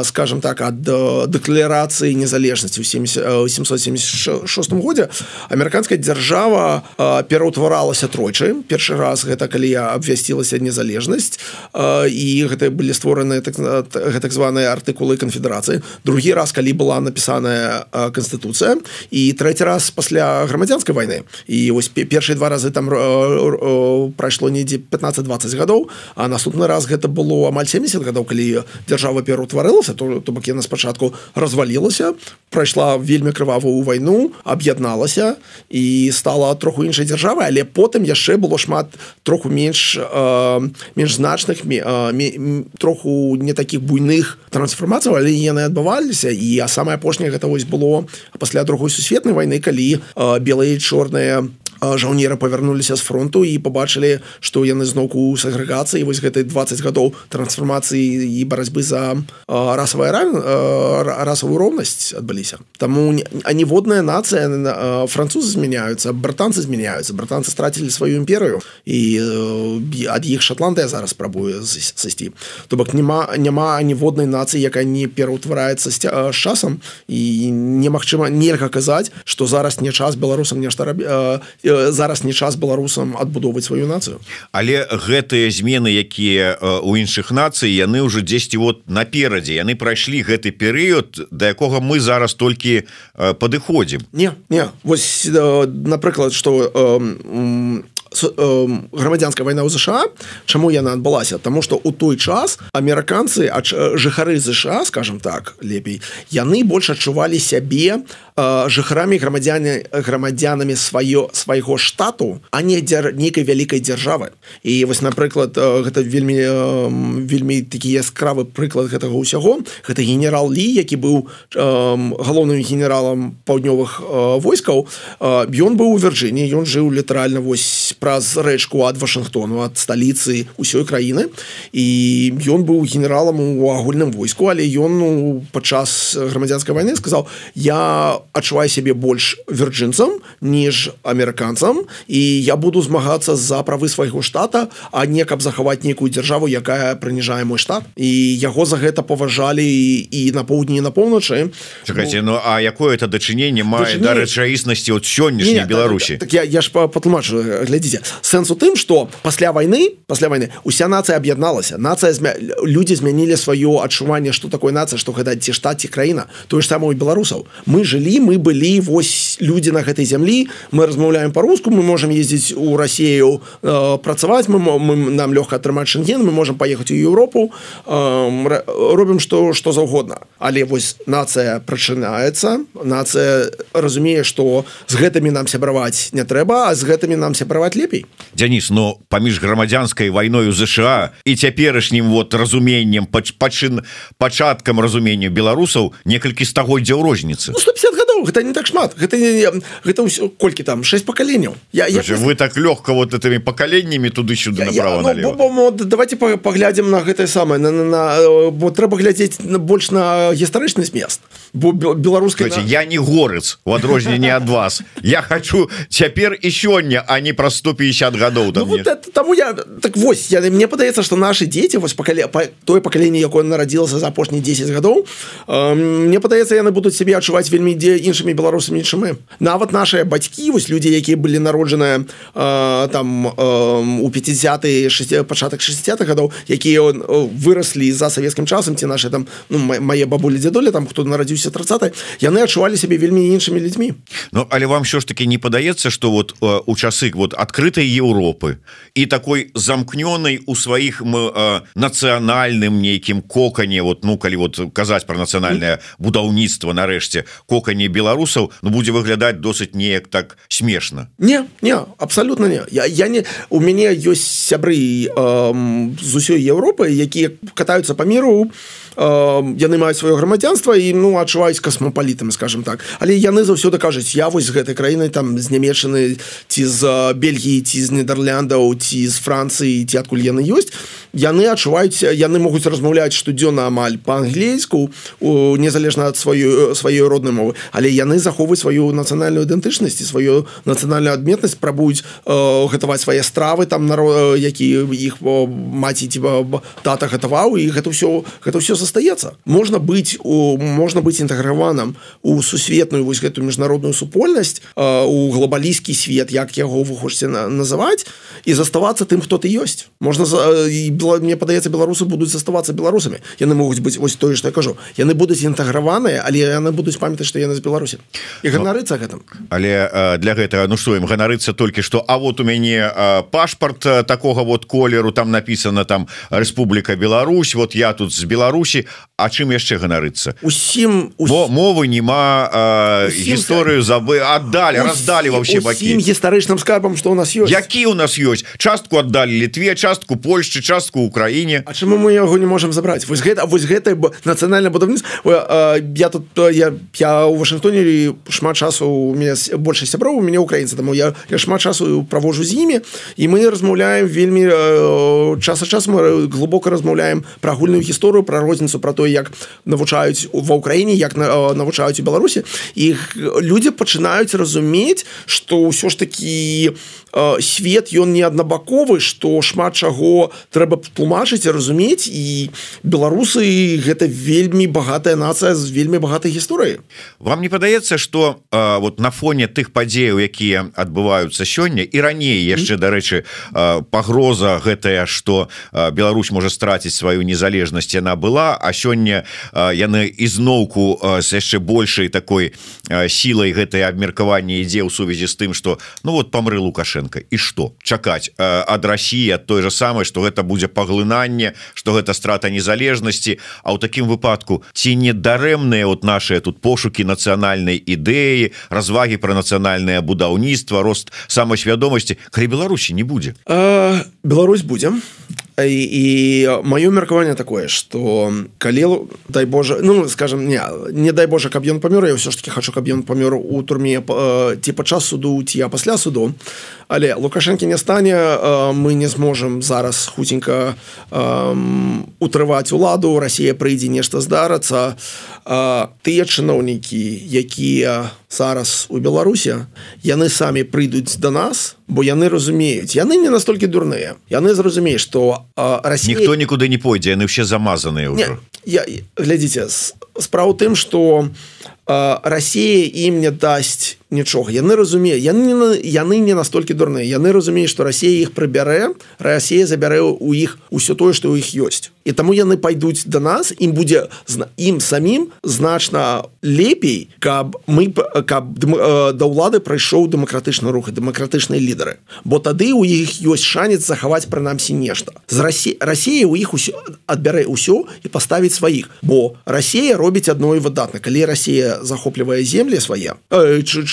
скажем так, ад дэкларацыі незалежнасці ў 1776 годзе амерыканская дзяржава пераўтваралася тройчы. Першы раз гэта калі абвясцілася незалежнасць і гэта былі створаны так званыя артыкулы канфедэрацыі. Другі раз, калі была напісаная канстытуцыя, і трэці раз пасля грамадзянскай вайны. І вось першыя два разы там прайшло недзе 15-20 гадоў, а наступны раз гэта было амаль 70 гадоў, калі дзяржава пераўтварылася, то бок яна спачатку развалілася, прайшла вельмі крывавую вайну, аб'ядналася і стала троху іншай дзяржавай, але потым яшчэ было шмат троху менш значных, троху не такіх буйных трансфармацый, але яны адбываліся. І самае апошняе гэта вось было пасля другой сусветнай вайны, калі белыя і чорныя жаўнеры павярнуліся з фронту і пабачылі, што яны зноўку ў сегрэгацыі. Вось гэтай 20 гадоў трансфармацыі і барацьбы за расавую роўнасць адбыліся. Таму аніводная нацыя, французы змяняюцца, брытанцы змяняюцца, брытанцы страцілі сваю імперыю і ад іх Шатландыя зараз спрабуе сысці. То бок няма аніводнай нацыі, якая не пераўтвараецца з часам, і немагчыма, нельга казаць, што зараз не час беларусам нешта зараз не час беларусам адбудоўваць сваю нацыю. Але гэтыя змены, якія у іншых нацый, яны ўжо дзесьці вот наперадзе, яны прайшлі гэты перыяд, да якога мы зараз толькі падыходзім. Не, вось напрыклад, што грамадзянская вайна ў ЗША, чаму яна адбылася? Таму што ў той час амерыканцы, жыхары ЗША, скажем так, лепей, яны больш адчувалі сябе жыхарамі, грамадзянамі свайго штату, а не нейкай вялікай дзяржавы. І вось, напрыклад, гэта вельмі такі яскравы прыклад гэтага ўсяго. Гэта генерал Лі, які быў галоўным генералам паўднёвых войскаў. Ён быў у Вірджыніі, ён жыў літаральна вось праз рэчку ад Вашынгтону, ад сталіцы ўсёй краіны. І ён быў генералам у агульным войску, але ён падчас грамадзянскай вайны сказаў: я адчуваю сябе больш вірджынцам, ніж амерыканцам, і я буду змагацца за правы свайго штата, а не каб захаваць нейкую дзяржаву, якая прыніжае мой штат. І яго за гэта паважалі і на поўдні, і на поўначы. Чакайце, а якое это дачыненне мае да рэчаіснасці от сённяшняй Беларусі? Так я ж патлумачу, глядзіце. Сэнс у тым, што пасля вайны уся нацыя аб'ядналася. Людзі змянілі сваё адчуванне, што такое нацыя, што гэта ці штат, ці краіна. Тое ж самае у беларусаў. Мы жылі, мы былі вось людзі на гэтай зямлі, мы размаўляем па-руску, мы можам ездзіць у Расію працаваць, нам лёгка атрымаць шэнген, мы можам паехаць у Еўропу, робім што заўгодна. Але вось нацыя прачынаецца, нацыя разумее, што з гэтымі нам сябраваць не трэба, а з гэтымі нам сябраваць лепей. Дзяніс, но паміж грамадзянскай вайной у ЗША і цяперашнім разуменнем, пачаткам разумення беларусаў некалькі стагоддзяў розніцы. 150 гадоў, гэта не так шмат. Гэта ўсё, колькі там, 6 пакаленняў. Вы так лёгка вот этими пакаленнямі туды-сюды направо-налево. Давайте паглядзім на гэтае самае, бо трэба глядзець больш на гістарычны змест. Бо беларуская... Я не горец, у адрозненне ад вас. Я хочу цяпер і сёння, а не праз 150 гадоў. Таму так вось, мне падаецца, што нашы дзеці, тое пакаленне, якое нарадзілася за апошнія 10 гадоў, мне падаецца, яны будуць сябе адчуваць вельмі іншымі беларусамі, чым мы. Нават нашыя бацькі, вось людзі, якія былі народжаныя там у 50-е, пачатак 60-х гадоў, якія выраслі за савецкім часам, ці нашы там, мае бабулі, дзядулі, там, хто нарадзіўся 30-й, яны адчувалі сябе вельмі іншымі людзьмі. Але вам ўсё ж таки не падаецца, што вот у часы вот адкрытай Еўропы і такой замкнёнай у сваіх нацыянальным нейкім кокане, калі казаць пра нацыянальнае будаўніцтва, нарэшце, кокане беларусаў, будзе выглядаць досыць неяк так смешна. Не, абсолютно не. У мяне ёсць сябры з усёй Еўропы, якія катаюцца па міру яны маюць сваё грамадзянства і ну адчуваюць касмапалітамі, скажем так, але яны заўсёды кажуць, я вось з гэтай краінай там з Нямецчыны ці з Бельгіі ці з Нідэрляндаў ці з Францыі ці адкуль яны ёсць, яны адчуваюць, яны могуць размаўляць штодзённа амаль па-англійску незалежна ад сваёй роднай мовы, але яны захоўваюць сваю нацыянальную ідэнтычнасць і сваю нацыянальную адметнасць, прабуюць гатаваць свае стравы там які іх маці ці тата гатаваў, і гэта ўсё застаецца. Можна быць інтэграваным у сусветную вось гэтую міжнародную супольнасць, у глобалісцкі свет, як яго вы хочаце называць, і заставацца тым, хто ты ёсць. Можна, мне падаецца, беларусы будуць заставацца беларусамі. Яны могуць быць вось тое, што я кажу. Яны будуць інтэграваныя, але яны будуць памятаць, што яны з Беларусі. І ганарыцца гэтым. Але для гэтага, ну што ім ганарыцца толькі што, а вот у мяне пашпарт такога вот колеру, там написано там Рэспубліка Беларусь, вот я тут з Беларусі, а чым яшчэ ганарыцца? Бо мовы нема, гісторыю аддалі, раздалі ва ўсе бакі. Усім гістарычным скарбам, што ў нас ёсць. Які ў нас ёсць? Частку аддалі Літве, частку Польшчы, частку Украіне. А чаму мы яго не можам забраць? Вось гэта нацыянальнае будаўніцтва. Я ў Вашынгтоне шмат часу, у мяне больш сяброў, у мяне украінцы, таму я шмат часу праводжу з імі, і мы размаўляем вельмі час ад часу, мы глыбока размаўляем пра агульную гісторыю, пра розніцу, пра тое, як навучаюць ва ўкраіне, як навучаюць у Беларусі, і людзі пачынаюць разумець, што ўсё ж такі свет ён не аднабаковы, што шмат чаго трэба тлумачыць і разумець, і беларусы гэта вельмі багатая нацыя з вельмі багатай гісторыяй. Вам не падаецца, што вот на фоне тых падзеяў, якія адбываюцца сёння і раней яшчэ, дарэчы, пагроза гэтая, што Беларусь можа страціць сваю незалежнасць, яна была, а сёння яны ізноўку з яшчэ большай такой сілай гэтае абмеркаванне ідзе ў сувязі з тым, што ну вот памрэ Лукашенко. І што? Чакаць ад Расіі, ад той же самай, што гэта будзе паглынанне, што гэта страта незалежнасці, а ў такім выпадку ці не дарэмныя вот нашыя тут пошукі нацыянальнай ідэі, развагі пра нацыянальнае будаўніцтва, рост самасвядомасці, калі Беларусі не будзе? Беларусь будзе. І маё меркаванне такое, што калі, дай Божа, ну, скажем, не дай Божа, каб ён памёр, я ўсё ж таки хочу, каб ён памёр у турме ці падчас суду, ці пасля суду, але Лукашэнкі не стане, мы не зможам зараз хуценька утрываць уладу, Расія прыйдзе, нешта здарыцца. Тыя чыноўнікі, якія зараз у Беларусі, яны самі прыйдуць да нас, бо яны разумеюць, яны не настолькі дурныя, яны зразумеюць, што Расія... Ніхто нікуды не пойдзе, яны ўсе замазаныя ўжо. Глядзіце, справа ў тым, што Расія ім не дасць нічога. Яны разумеюць, яны не настолькі дурныя. Яны разумеюць, што Расія іх прыбярэ, Расія забярэ ў іх усё тое, што ў іх ёсць. І таму яны пайдуць да нас, ім будзе ім самім значна лепей, каб да ўлады прайшоў дэмакратычны рух і дэмакратычныя лідары. Бо тады ў іх ёсць шанец захаваць прынамсі нешта. Расія ў іх адбярэ ўсё і паставіць сваіх. Бо Расія робіць адно і выдатна. Калі Расія захоплівае землі свае,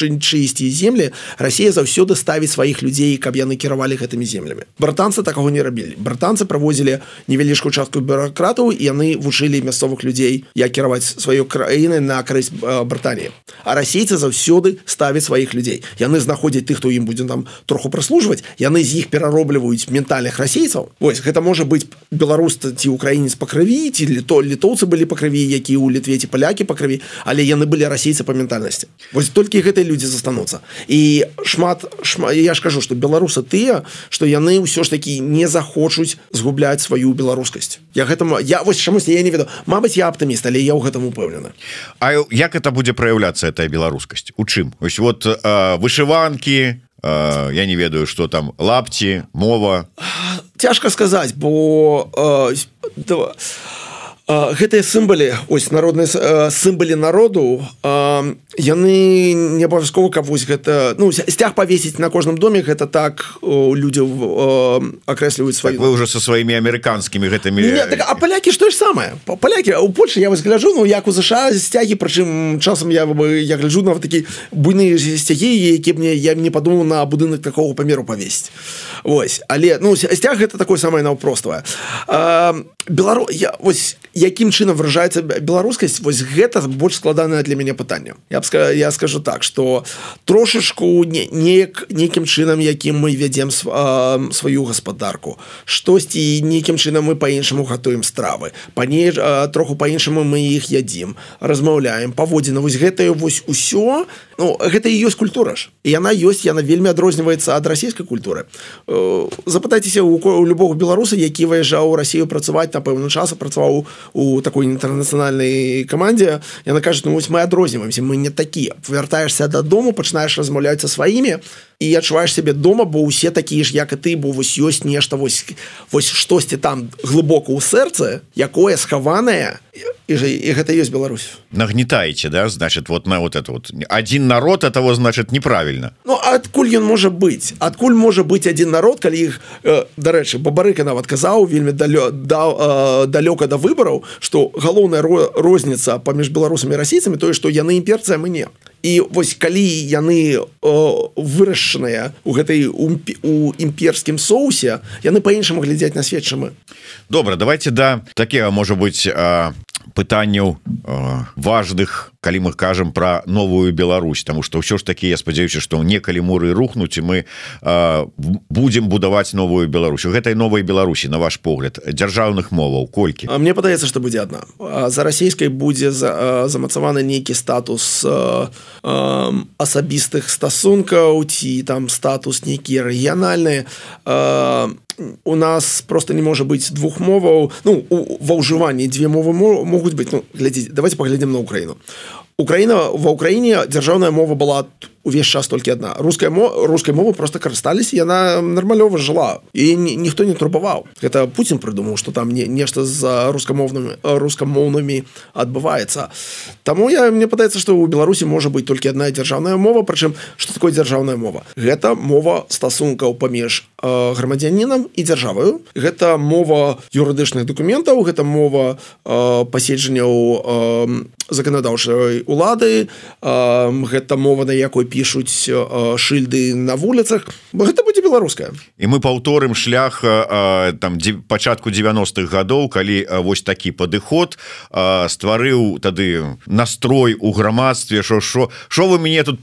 чыйсьці землі, Расія заўсёды ставіць сваіх людзей, каб яны кіравалі гэтымі землямі. Брытанцы такого не рабілі. Брытанцы правозілі невялічкую частку бюракратаў, і яны вучылі мясцовых людзей, як кіраваць сваёй краінай на карысць Брытаніі. А расейцы заўсёды ставяць сваіх людзей. Яны знаходзяць тых, хто ім будзе там троху праслужваць, яны з іх пераробліваюць ментальных расейцаў. Вось, гэта можа быць беларус ці украінец па крыві, ці літоўцы былі па крыві, які ў Літве, ці палякі па крыві, але яны былі расейцы па ментальнасці. Вось толькі гэтыя людзі застануцца. І шмат, я ж кажу, што беларусы тыя, што яны ўсё ж такі не захочуць згубляць сваю беларускасць. Вось чамусьці я не ведаю. Мабыць, я аптыміст, але я ў гэтым упэўнены. А як это будзе праяўляцца, гэтая беларускасць? У чым? Вось вот вышыванкі, я не ведаю, што там, лапці, мова. Цяжка сказаць, бо гэтыя сімвалы, ось народныя сімвалы народу, яны не абавязкова, каб вось гэта, ну, сцяг павесіць на кожным доме, гэта так людзі акрэсліваюць сваю. Так вы уже со сваімі амерыканскімі гэтымі... А палякі што ж самае? Палякі, у Польшы я вось гляджу, ну, як у США сцягі, прычым часам я гляджу на такі буйныя сцягі, які я не падумаў на будынак такого памеру павесіць. Вось, але, ну, сцяг гэта такое самае наўпроставае. Вось якім чынам выражаецца беларускасць, вось гэта больш складанае для мяне пытанне. Я скажу так, што трошачку нейкім чынам, якім мы вядзем сваю гаспадарку, штосьці нейкім чынам мы па-іншаму гатуем стравы, троху па-іншаму мы іх ядзім, размаўляем, паводзіны, вось гэтае вось усё, ну, гэта і ёсць культура ж. І яна вельмі адрозніваецца ад расійскай культуры. Запытайцеся у любого беларуса, які выязджаў у Расію працаваць на пэўны час, працаваў у такой інтэрнацыянальнай камандзе, яна кажа, ну вось мы адрозніваемся, мы не такія. Вяртаешся дадому, пачынаеш размаўляць са сваімі і адчуваеш сябе дома, бо ўсе такія ж, як і ты, бо вось ёсць нешта, вось штосьці там глыбока ў сэрцы, якое схаванае, і гэта ёсць Беларусь. Нагнетаете, да, значит, вот на вот это вот. Один народ, этого, значит, неправильно. Ну, адкуль ён можа быць? Адкуль можа быць один народ, калі іх, дарэчы, Бабарыка нават казаў вельмі далёка да выбараў, што галоўная розніца паміж беларусамі і расійцамі тое, што яны імперцы, а мы не. І вось калі яны вырашчаныя у імперскім соусе, яны па-іншаму глядзяць на свет, чым мы. Добра, давайте да такія, можа быць, пытанняў важных, калі мы кажам про новую Беларусь, тому что ўсё ж таки я спадзяюся, што некалі муры рухнуць і мы будем будаваць новую Беларусь. У гэтай новай Беларусі, на ваш погляд, дзяржаўных моваў колькі? Мне падаецца, што будзе адна. За расійскай будзе замацаваны нейкі статус асабістых стасункаў ці там статус нейкі рэгіянальны. У нас просто не можа быць двух моваў, ну, ва ўжыванні дзве мовы могуць быць. Ну, глядзіце, давайте паглядзім на Украіну. Ва Украіне дзяржаўная мова была увесь час толькі адна. Рускай мовы просто карысталіся, яна нармалёва жыла. І ніхто не турбаваў. Гэта Путін прыдумаў, што там нешта з рускамоўнымі адбываецца. Таму мне падаецца, што ў Беларусі можа быць толькі адна дзяржаўная мова, прычым, што такое дзяржаўная мова? Гэта мова стасункаў паміж грамадзянінам і дзяржаваю. Гэта мова юрыдычных дакументаў, гэта мова паседжанняў заканадаўчай улады, гэта мова, на якой пішуць шыльды на вуліцах, бо гэта будзе беларуская. І мы паўторым шлях там пачатку 90-х гадоў, калі вось такі падыход стварыў тады настрой у грамадстве, што вы мяне тут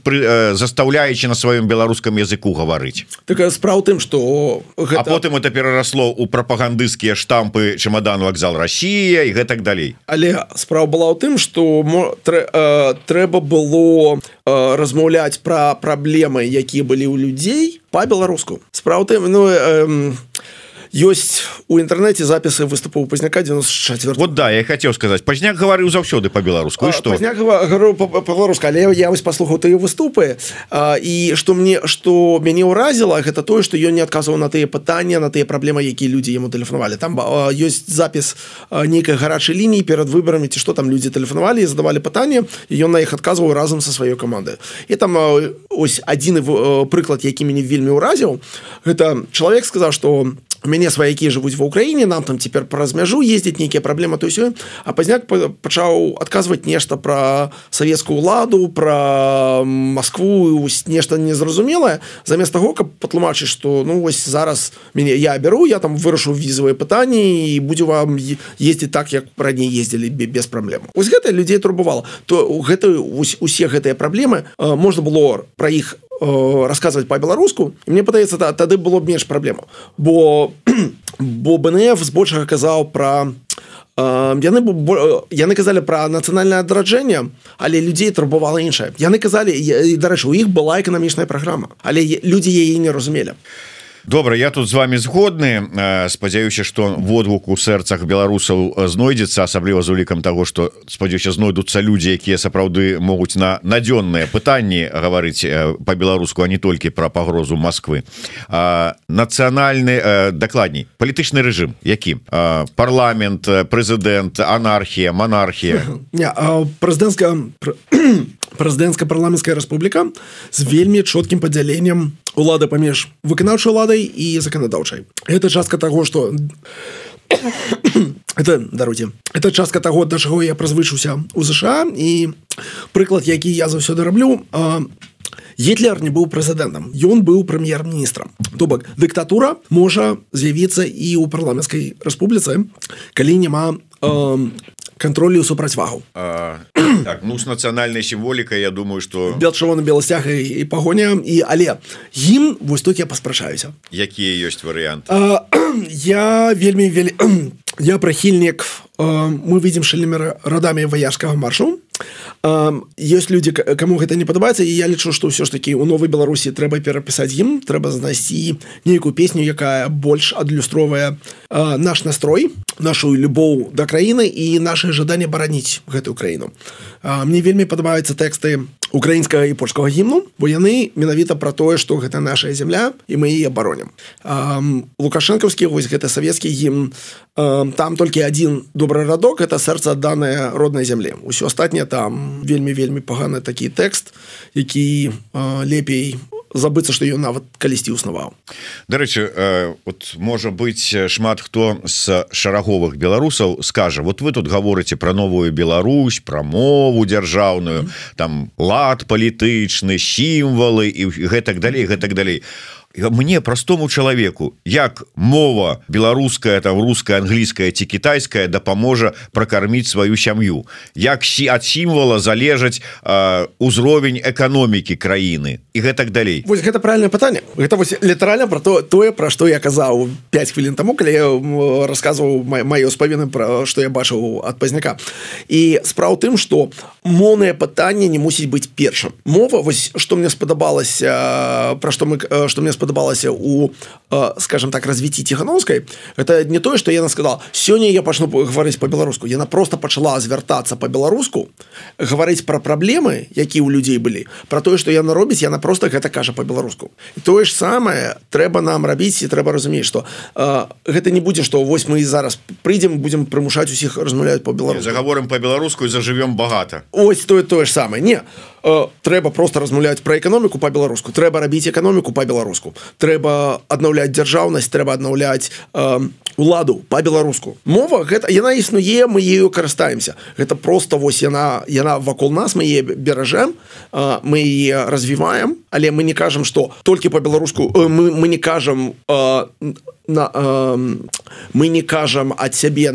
застаўляеце на сваём беларускам языку гаварыць. Такая справа тым, што гэта... А потым это перарасло ў прапагандысцкія штампы чемодан вакзал Россия і гэтак далей. Але справа была ў тым, што трэба было размаўляць пра праблемы, якія былі ў людзей па-беларуску. Справа тым, ёсць у інтэрнэце запісы выступаў Пазняка 94. Вот да, я хотел сказать, Пазняк гаварыў заўсёды па-беларуску, і што? Пазняк гаварыў па-беларуску, але я вось паслухаў тыя выступы, і што мяне ўразіла, гэта тое, што ён не адказваў на тыя пытанні, на тыя праблемы, якія людзі яму тэлефанавалі. Там ёсць запіс нейкай гарачай лініі перад выбарамі, ці што там людзі тэлефанавалі і задавалі пытанні, і ён на іх адказваў разам са сваёй камандай. І там ось адзіны прыклад, які мяне вельмі ўразіў, гэта чалавек сказаў, што у мяне сваякі жывуць ва Ўкраіне, нам там цяпер праз мяжу ездзіць, нейкія праблемы, то ўсё. А Пазняк пачаў адказваць нешта пра савецкую ўладу, пра Маскву, нешта незразумелае, замест таго, каб патлумачыць, што ну вось зараз я беру, я там вырашу візавыя пытанні і будзе вам ездзіць так, як раней ездзілі без праблем. Вось гэта людзей турбавала. То усе гэтыя праблемы можна было пра іх расказваць па-беларуску, і мне падаецца, тады было б менш праблемаў. Бо БНФ збольшага казаў пра яны казалі пра нацыянальнае адраджэнне, але людзей турбавала іншае. Яны казалі, і, дарэчы, у іх была эканамічная праграма, але людзі яе не разумелі. Добра, я тут з вами згодны. Спадзяюся, што водгук у сэрцах беларусаў знойдзецца, асабліва з улікам таго, што, спадзяюся, знойдуцца людзі, якія сапраўды могуць на надзённыя пытанні гаварыць па-беларуску, а не толькі пра пагрозу Масквы. Нацыянальны, дакладней, палітычны рэжым, які? Парламент, прэзідэнт, анархія, монархія? Не, прэзідэнцка-парламенцкая рэспубліка з вельмі чоткім падзяленнем улады паміж выканаўчай уладай і заканадаўчай. Гэта частка таго, што это частка таго, да чаго я прызвычыўся ў ЗША, і прыклад, які я заўсёды раблю, Гітлер не быў прэзідэнтам, ён быў прэм'ер-міністрам. То бок, дыктатура можа з'явіцца і ў парламенцкай рэспубліцы, калі няма кантролю супрацьвагу. Так, ну, с нацыянальнай сімволікай, я думаю, что... Бел чырвоны, белы сцяг і пагоня. Але гімн, вось тут я паспрачаюся. Якія ёсць варыянты? Я я прыхільнік, мы выйдзем шальнымі радамі ваяжскага маршу. Ёсць людзі, каму гэта не падабаецца, і я лічу, што ўсё ж такі у Новай Беларусі трэба перапісаць гімн, трэба знайсці нейкую песню, якая больш адлюстроўвае наш настрой, нашу любоў да краіны і наше жаданне бараніць гэтую краіну. Мне вельмі падабаюцца тэксты украінскага і польскага гімну, бо яны менавіта пра тое, што гэта наша зямля і мы яе абаронім. Лукашэнкаўскі, вось гэты савецкі гімн, там толькі адзін добры радок, это сэрца адданае роднай зямлі. Усё астатняе там вельмі паганы такі тэкст, які лепей забыцца, што ён нават калісьці існаваў. Дарэчы, вот можа быць шмат хто з шараговых беларусаў скажа, вот вы тут гаворыце пра новую Беларусь, пра мову дзяржаўную, там лад палітычны, сімвалы і гэтак далей. Мне, простому чалавеку, як мова беларуская, там руская, англійская ці кітайская дапаможа пракарміць сваю сям'ю, як ад сімвала залежаць узровень эканомікі краіны і гэтак далей. Вось гэта правільнае пытанне. Гэта вось літаральна пра тое, пра што я казаў 5 хвілін таму, калі я расказваў маё спавіны, пра што я бачыў ад пазняка. І справа ў тым, што моўнае пытанне не мусіць быць першым. Мова, вось што мне спадабалася, пра што мне спадабалася у, скажем так, развіцці Ціхановскай, это не тое, што яна сказала, сёння я пачну гаварыць па-беларуску. Яна просто пачала звяртацца па-беларуску, гаварыць пра праблемы, якія ў людзей былі, пра тое, што яна робіць, яна просто гэта кажа па-беларуску. І тое ж самае трэба нам рабіць, і трэба разумець, што гэта не будзе, што вось мы зараз прыйдзем, будзем прымушаць усіх размаўляць па-беларуску. Загаворым па-беларуску і зажывём багата. Ось тое ж самае. Не. Трэба просто размаўляць пра эканоміку па-беларуску, трэба рабіць эканоміку па-беларуску, трэба аднаўляць дзяржаўнасць, трэба аднаўляць уладу па-беларуску. Мова, гэта, яна існуе, мы ею карыстаемся. Гэта просто вось яна вакол нас, мы яе беражэм, мы яе развіваем, але мы не кажам, што толькі па-беларуску, мы не кажам мы не кажам ад сябе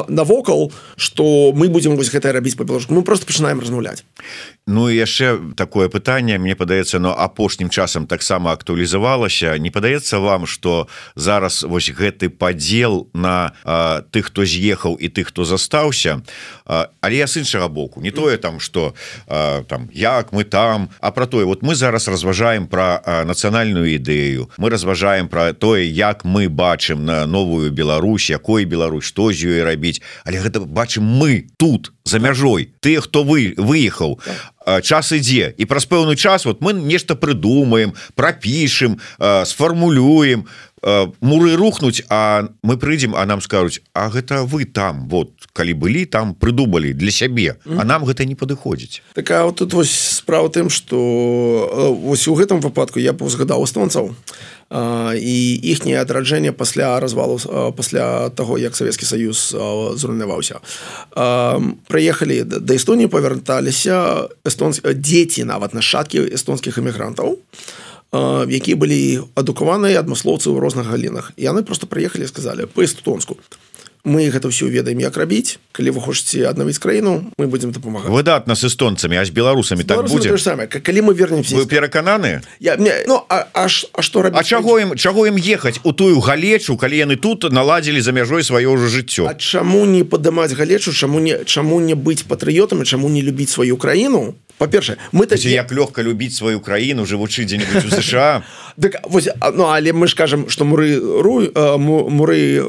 навокал, што мы будзем вось гэта рабіць па-беларуску. Мы просто пачынаем размаўляць. Ну і яшчэ такое пытанне, мне падаецца, но апошнім часам таксама актуалізавалася. Не падаецца вам, што зараз вось гэты падзел на тых, хто з'ехаў і тых, хто застаўся, але я з іншага боку, не тое там, што там як мы там, а пра тое, вот мы зараз разважаем пра нацыянальную ідэю, мы разважаем пра тое, як мы бачым на новую Беларусь, якой Беларусь, што з ёй рабіць, але гэта бачым мы тут за мяжой, тыя, хто выехаў. Час ідзе, і праз пэўны час вот мы нешта прыдумаем, прапішым, сфармулюем, муры рухнуць, а мы прыйдзем, а нам скажуць, а гэта вы там, вот, калі былі там, прыдумалі для сябе, а нам гэта не падыходзіць. Так, а вот тут вось справа тым, што вось у гэтым выпадку я паўзгадаў эстонцаў, і іхняе адраджэнне пасля развалу, пасля таго, як Савецкі Саюз зруйнаваўся. Прыехалі да Эстоніі, павярталіся дзеці, нават нашчадкі эстонскіх эмігрантаў, якія былі адукаваныя адмыслоўцы ў розных галінах. І яны просто прыехалі і сказалі па-эстонску: мы гэта ўсё ведаем, як рабіць, калі вы хочаце аднавіць краіну, мы будзем дапамагаць. Выдатна з эстонцамі, а з беларусамі так будзе? Калі мы вернемся... Вы перакананы? Што рабіць? А чаго ім ехаць у тую галечу, калі яны тут наладзілі за мяжой сваё ўжо жыццё? А чаму не падымаць галечу, чаму не быць патрыётамі, чаму не любіць сваю краіну? Па-першае, мы такі... Як лёгка любіць сваю краіну, жывучы дзе-небудзь у США. Але мы ж кажам, што муры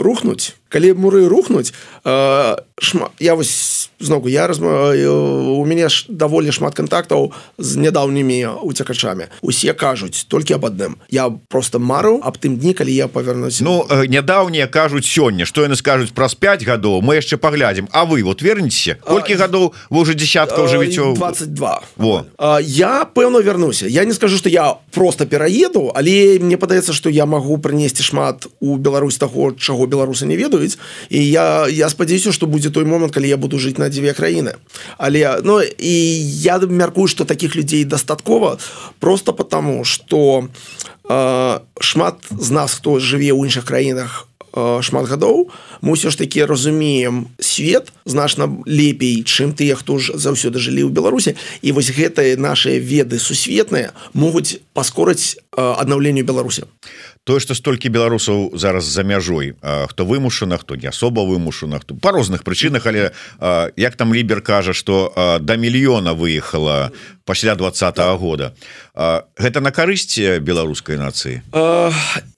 рухнуць. Калі муры рухнуць, я вось зноўку, у мяне ж даволі шмат кантактаў з нядаўнімі уцекачамі. Усе кажуць толькі аб адным. Я просто мару аб тым дні, калі я павярнуся. Ну, нядаўнія кажуць сёння, што яны скажуць праз 5 гадоў, мы яшчэ паглядзім. А вы вот вернецеся? Колькі гадоў вы ўжо дзесяткаў жывіце? 22. Во. Я, пэўна, вярнуся. Я не скажу, што я просто пераеду, але мне падаецца, што я магу прынесці шмат у Беларусь таго, чаго беларусы не ведаюць. І я спадзяюся, што будзе той момант, калі я буду жыць на 2 краіны. Але, і я мяркую, што такіх людзей дастаткова просто потому, што шмат з нас, хто жыве ў іншых краінах, шмат гадоў, мы ўсё ж таки разумеем свет значна лепей, чым тыя, хто ж заўсёды жылі ў Беларусі, і вось гэтыя нашыя веды сусветныя могуць паскорыць аднаўленню Беларусі. Тое, што столькі беларусаў зараз за мяжой, хто вымушана, хто не асоба вымушана, хто па розных прычынах, але як там Лібер кажа, што да мільёна выехала пасля 20-го года. Гэта на карысць беларускай нацыі?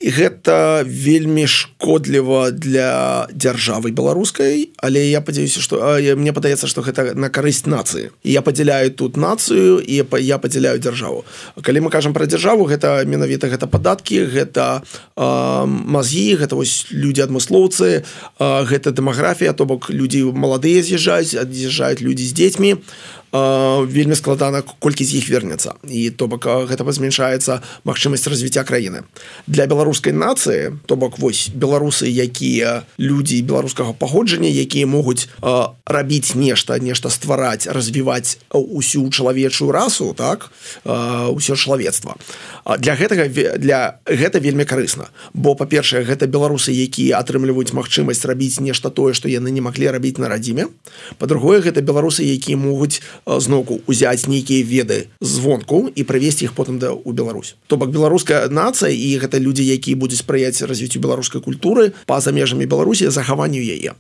Гэта вельмі шкодліва для дзяржавы беларускай, але я падзяюся, што мне падаецца, што гэта на карысць нацыі. І я падзяляю тут нацыю, і я падзяляю дзяржаву. Калі мы кажам пра дзяржаву, гэта менавіта гэта падаткі, гэта мазгі, гэта вось людзі-адмыслоўцы, гэта дэмаграфія, то бок людзі маладыя з'язджаюць людзі з дзецьмі, вельмі складана, колькі з іх вернецца, і то бок гэта зменшаецца магчымасць развіцця краіны. Для беларускай нацыі, то бок вось беларусы, якія людзі беларускага паходжання, якія могуць рабіць нешта ствараць, развіваць усю чалавечую расу, так, усё чалавецтва. Для гэта вельмі карысна, бо па-першае, гэта беларусы, якія атрымліваюць магчымасць рабіць нешта тое, што яны не маглі рабіць на радзіме. Па-другое, гэта беларусы, якія могуць зноўку узяць нейкія веды звонку і прывесці іх потым у Беларусь. То бок беларуская нацыя, і гэта людзі, якія будуць спрыяць развіццю беларускай культуры па-за межамі Беларусі, захаванню яе.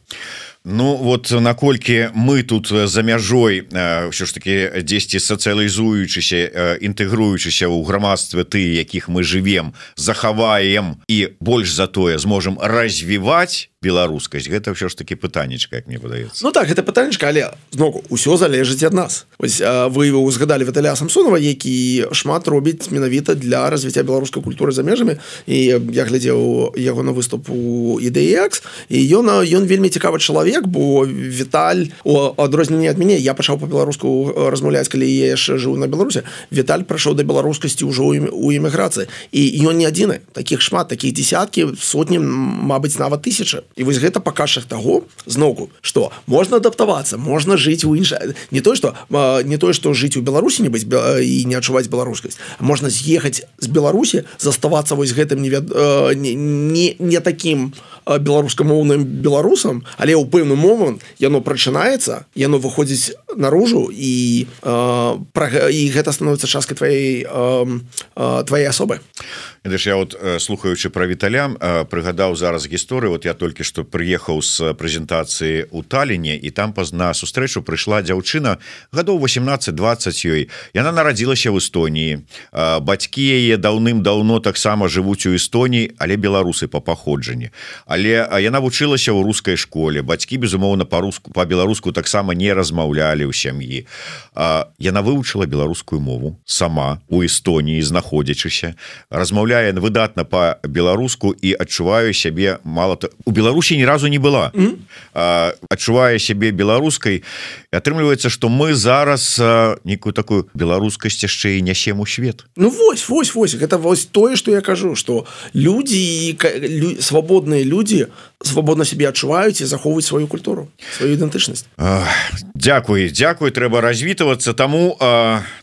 Ну вот наколькі мы тут за мяжой ўсё ж таки дзесьці сацыялізуючыся, інтэгруючыся ў грамадстве тыя, якіх мы жывем, захаваем і больш за тое зможам развіваць беларускасць, гэта ўсё ж таки пытаннечка, як мне падаецца. Ну так, гэта пытанечка, але зноўку ўсё залежыць ад нас. Вось вы узгадалі Віталія Самсонова, які шмат робіць менавіта для развіцця беларускай культуры за межамі, і я глядзеў яго на выступ у IDEX, і ён вельмі цікавы чалавек, бо Віталь, у адрозненне ад мяне, я пачаў па-беларуску размаўляць, калі я яшчэ жыў на Беларусі. Віталь прайшоў да беларускасці ўжо ў эміграцыі, і ён не адзіны, такіх шмат, такіх дзесяткі, сотні, мабыць, нават тысячы. І вось гэта паказчык таго, зноўку, што можна адаптавацца, можна жыць у іншай, не тое, што жыць у Беларусі не быць і не адчуваць беларускасць, а можна з'ехаць з Беларусі, заставацца вось гэтым не такім беларускамоўным беларусам, але ў пэўны момант яно прачынаецца, яно выходзіць наружу, і гэта становіцца часткай твоей асобы. Я вот, слухаючы пра Віталя, прыгадаў зараз гісторыю. Вот я толькі што прыехаў з прэзентацыі ў Таліне, і там на сустрэчу прыйшла дзяўчына гадоў 18-20 ёй. Яна нарадзілася ў Эстоніі. Бацькі яе даўным-даўно таксама жывуць у Эстоніі, але беларусы па паходжанні. Але яна вучылася ў рускай школе. Бацькі, безумоўна, па-беларуску таксама не размаўлялі ў сям'і. Яна вывучыла беларускую мову сама у Эстоніі, знаходзячыся, размаўляе выдатна па-беларуску і адчуваю сябе у Беларусі ні разу не была. Адчувае сябе беларускай. Атрымліваецца, што мы зараз нейкую такую беларускасць яшчэ і нясем у свет. Ну вось, гэта вось тое, што я кажу, што людзі, свабодныя людзі свабодна сябе адчуваюць і захоўваюць сваю культуру, сваю ідэнтычнасць. Дзякуй, трэба развітвацца. Таму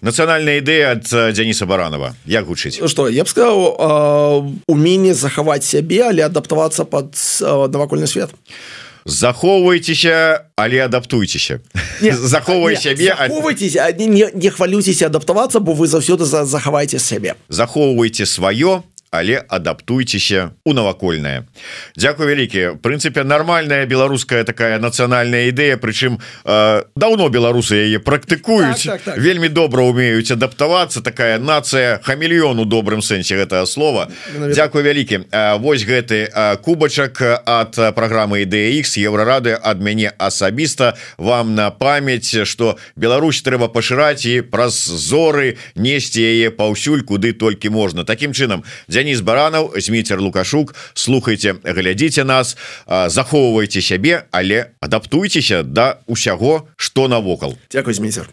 нацыянальная ідэя ад Дзяніса Баранова. Як гучыць? Што, я б сказаў, уменне захаваць сябе, але адаптавацца пад навакольны свет. Захоўвайцеся, але адаптуйцеся. Захоўвай сябе. Захоўвайцеся, не хвалюйцеся адаптавацца, бо вы заўсёды захаваеце сябе. Захоўвайце сваё, але адаптуйцеся у навакольнае. Дзякуй вялікі. В прынцыпе, нармальная беларуская такая нацыянальная ідэя, прычым даўно беларусы яе практыкуюць, так. Вельмі добра умеюць адаптавацца, такая нацыя хамелеон у добрым сэнсе гэтага слова. Дзякуй вялікі. Вось гэты кубачак ад праграмы IDEX Еўрарады ад мяне асабіста вам на памяць, што Беларусь трэба пашыраць і праз зоры несці яе паўсюль, куды толькі можна. Такім чынам, Дзяніс Баранаў, Зміцер Лукашук, слухайце, глядзіце нас, захоўвайце сябе, але адаптуйцеся да ўсяго, што навокал. Дзякуй, Зміцер.